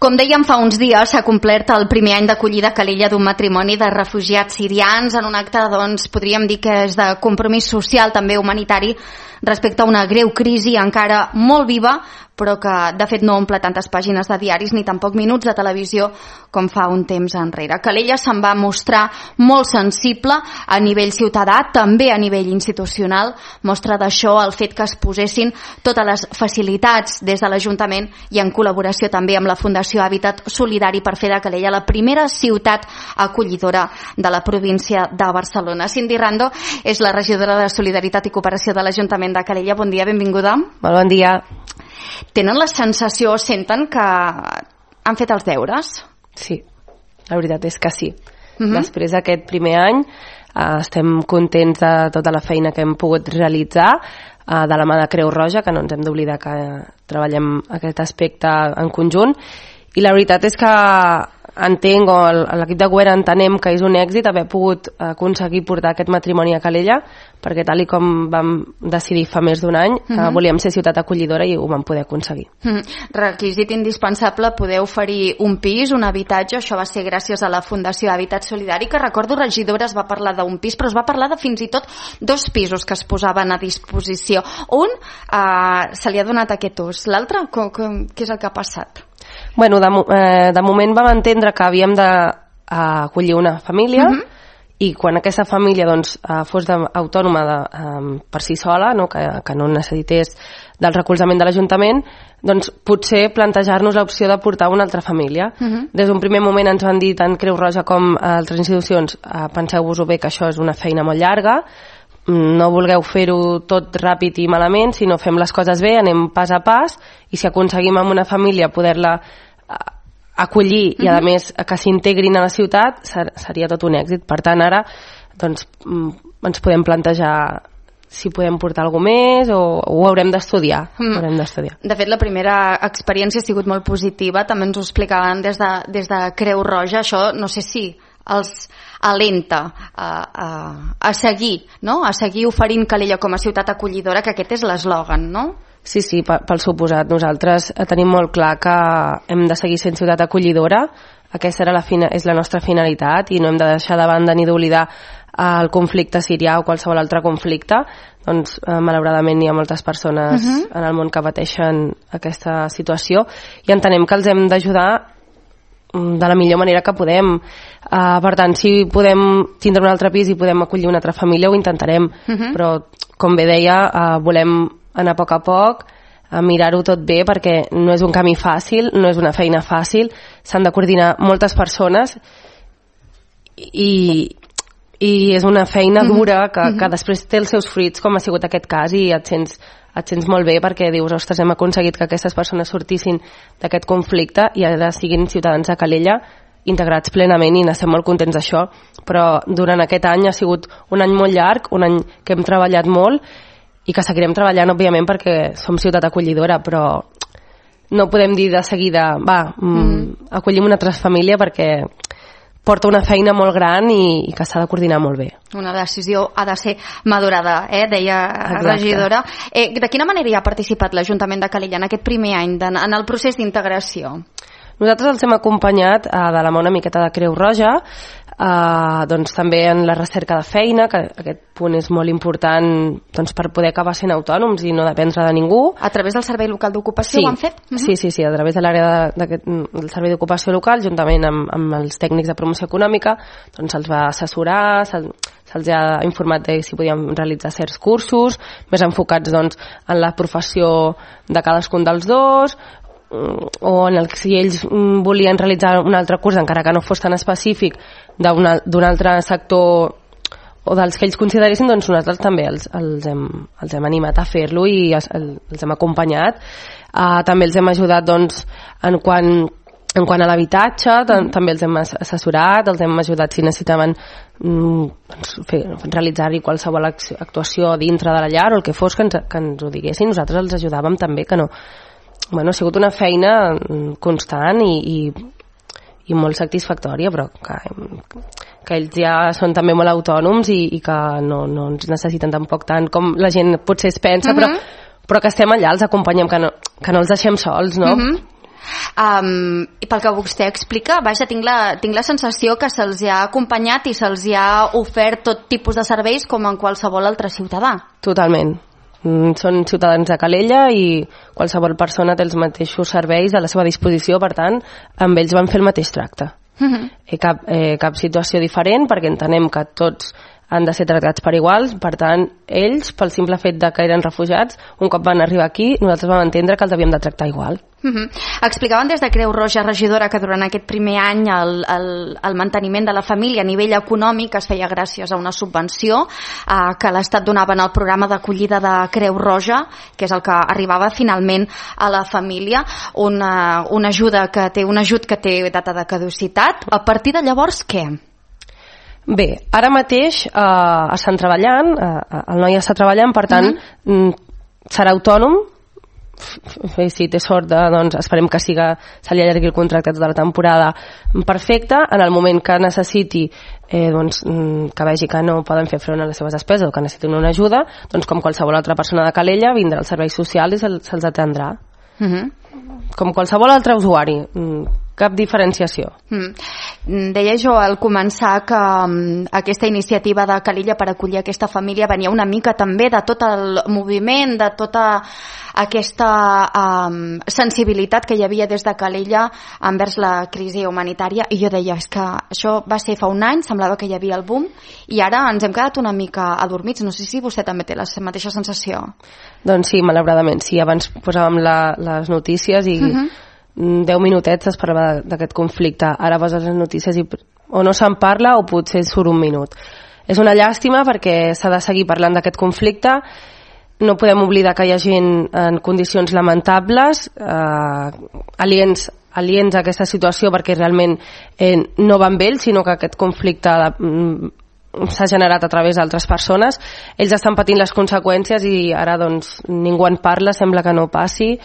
Com dèiem, fa uns dies s'ha complert el primer any d'acollida a Calella d'un matrimoni de refugiats sirians en un acte, doncs, podríem dir que és de compromís social, també humanitari, respecte a una greu crisi encara molt viva, però que de fet no omple tantes pàgines de diaris ni tampoc minuts de televisió com fa un temps enrere. Calella se'n va mostrar molt sensible a nivell ciutadà, també a nivell institucional. Mostra d'això el fet que es posessin totes les facilitats des de l'Ajuntament i en col·laboració també amb la Fundació Hàbitat Solidari per fer de Calella la primera ciutat acollidora de la província de Barcelona. Cindy Rando és la regidora de Solidaritat i Cooperació de l'Ajuntament de Calella. Bon dia, benvinguda. Molt bon dia. Tenen la sensació, senten que han fet els deures? Sí, la veritat és que sí. Després d'aquest primer any estem contents de tota la feina que hem pogut realitzar de la mà de Creu Roja, que no ens hem d'oblidar que treballem aquest aspecte en conjunt, i la veritat és que entenc, o l'equip de govern entenem que és un èxit haver pogut aconseguir portar aquest matrimoni a Calella, perquè tal i com vam decidir fa més d'un any, volíem ser ciutat acollidora i ho vam poder aconseguir. Requisit indispensable poder oferir un pis, un habitatge. Això va ser gràcies a la Fundació Hàbitat Solidari, que recordo, regidora, es va parlar d'un pis, però es va parlar de fins i tot 2 pisos que es posaven a disposició. Un se li ha donat aquest ús, l'altre què és el que ha passat? Bueno, de moment vam entendre que havíem d'acollir una família i quan aquesta família doncs, fos autònoma per si sola, no? Que no necessités del recolzament de l'Ajuntament, doncs potser plantejar-nos l'opció de portar una altra família. Des d'un primer moment ens van dir tant Creu Roja com altres institucions, penseu-vos-ho bé que això és una feina molt llarga, no vulgueu fer-ho tot ràpid i malament, sinó fem les coses bé, anem pas a pas, i si aconseguim amb una família poder-la acollir i a més que s'integrin a la ciutat, seria tot un èxit. Per tant, ara doncs, ens podem plantejar si podem portar alguna més o ho haurem d'estudiar. De fet, la primera experiència ha sigut molt positiva, també ens ho explicaven des de Creu Roja. Això no sé si els alenta a seguir, no? A seguir oferint Calella com a ciutat acollidora, que aquest és l'eslògan, no? Sí, pel suposat. Nosaltres tenim molt clar que hem de seguir sent ciutat acollidora. Aquesta és la nostra finalitat i no hem de deixar de banda ni d'oblidar el conflicte sirià o qualsevol altre conflicte. Doncs, malauradament, hi ha moltes persones en el món que pateixen aquesta situació i entenem que els hem d'ajudar de la millor manera que podem. Per tant, si podem tindre un altre pis i podem acollir una altra família, ho intentarem, però com bé deia, volem anar a poc, a mirar-ho tot bé, perquè no és un camí fàcil, no és una feina fàcil, s'han de coordinar moltes persones i és una feina dura que després té els seus fruits, com ha sigut aquest cas, i et sents molt bé perquè dius, ostres, hem aconseguit que aquestes persones sortissin d'aquest conflicte i ara siguin ciutadans de Calella integrats plenament i n'estem molt contents d'això. Però durant aquest any ha sigut un any molt llarg, un any que hem treballat molt i que seguirem treballant, òbviament, perquè som ciutat acollidora, però no podem dir de seguida acollim una altra família, perquè porta una feina molt gran i que s'ha de coordinar molt bé. Una decisió ha de ser madurada, deia la regidora. De quina manera hi ha participat l'Ajuntament de Calella en aquest primer any, en el procés d'integració? Nosaltres els hem acompanyat de la mà una miqueta de Creu Roja, doncs també en la recerca de feina, que aquest punt és molt important doncs, per poder acabar sent autònoms i no dependre de ningú. A través del Servei Local d'Ocupació ho han fet? Sí, a través de l'àrea del Servei d'Ocupació Local, juntament amb els tècnics de promoció econòmica, doncs se'ls va assessorar, se'ls ha informat de si podíem realitzar certs cursos, més enfocats doncs, en la professió de cadascun dels dos, o si ells volien realitzar un altre curs, encara que no fos tan específic, d'un altre sector o dels que ells consideressin, doncs nosaltres també els hem animat a fer-lo i els hem acompanyat. També els hem ajudat doncs, en quant a l'habitatge, també els hem assessorat, els hem ajudat si necessitaven realitzar-hi qualsevol actuació dintre de la llar o el que fos, que ens ho diguessin. Nosaltres els ajudàvem també, que no... Bueno, ha sigut una feina constant i molt satisfactòria, però que ells ja són també molt autònoms i que no ens necessiten tampoc tant com la gent potser es pensa, però que estem allà, els acompanyem, que no els deixem sols, no? I pel que vostè explica, vaja, tinc la sensació que se'ls ha acompanyat i se'ls ha ofert tot tipus de serveis com en qualsevol altre ciutadà. Totalment. Són ciutadans de Calella i qualsevol persona té els mateixos serveis a la seva disposició, per tant, amb ells van fer el mateix tracte. Cap situació diferent, perquè entenem que tots han de ser tractats per iguals, per tant, ells, pel simple fet de que eren refugiats, un cop van arribar aquí, nosaltres vam entendre que els havíem de tractar igual. Explicaven des de Creu Roja, regidora, que durant aquest primer any el manteniment de la família a nivell econòmic es feia gràcies a una subvenció que l'Estat donava en el programa d'acollida de Creu Roja, que és el que arribava finalment a la família, un ajut que té data de caducitat. A partir de llavors, què? Bé, ara mateix estan treballant, el noi està treballant, per tant, serà autònom. Si té sort, doncs esperem que se li allargui el contracte tota la temporada perfecte. En el moment que necessiti que vegi que no poden fer front a les seves despeses o que necessitin una ajuda, doncs com qualsevol altra persona de Calella vindrà als serveis socials i se'ls atendrà com qualsevol altre usuari, cap diferenciació. Deia jo al començar que aquesta iniciativa de Calella per acollir aquesta família venia una mica també de tot el moviment, de tota aquesta sensibilitat que hi havia des de Calella envers la crisi humanitària, i jo deia, és que això va ser fa un any, semblava que hi havia el boom, i ara ens hem quedat una mica adormits. No sé si vostè també té la mateixa sensació. Doncs sí, malauradament, sí. Abans posàvem les notícies i 10 minutets es parlava d'aquest conflicte. Ara poses les notícies i o no se'n parla o potser surt un minut. És una llàstima perquè s'ha de seguir parlant d'aquest conflicte. No podem oblidar que hi ha gent en condicions lamentables, aliens a aquesta situació perquè realment no van bé ells, sinó que aquest conflicte s'ha generat a través d'altres persones. Ells estan patint les conseqüències i ara doncs ningú en parla, sembla que no passi,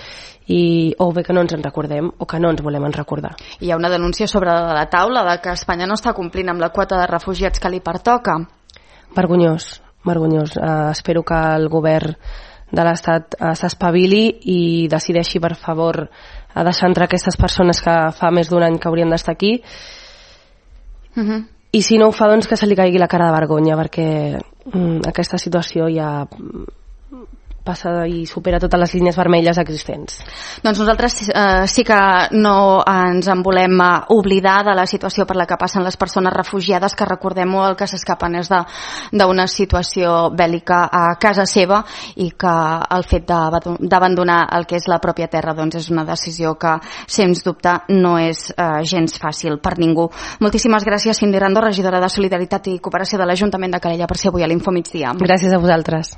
o bé que no ens en recordem o que no ens volem recordar. Hi ha una denúncia sobre la taula de que Espanya no està complint amb la quota de refugiats que li pertoca. Vergonyós. Espero que el govern de l'Estat s'espavili i decideixi, per favor, a deixar entrar aquestes persones que fa més d'un any que haurien d'estar aquí. I si no ho fa, doncs que se li caigui la cara de vergonya, perquè aquesta situació ja passa i supera totes les línies vermelles existents. Doncs nosaltres sí que no ens en volem oblidar de la situació per la que passen les persones refugiades, que recordem-ho, el que s'escapen és d'una situació bèl·lica a casa seva, i que el fet d'abandonar el que és la pròpia terra doncs és una decisió que, sens dubte, no és gens fàcil per ningú. Moltíssimes gràcies, Cindy Rando, regidora de Solidaritat i Cooperació de l'Ajuntament de Calella, per ser avui a l'Info Migdia. Gràcies a vosaltres.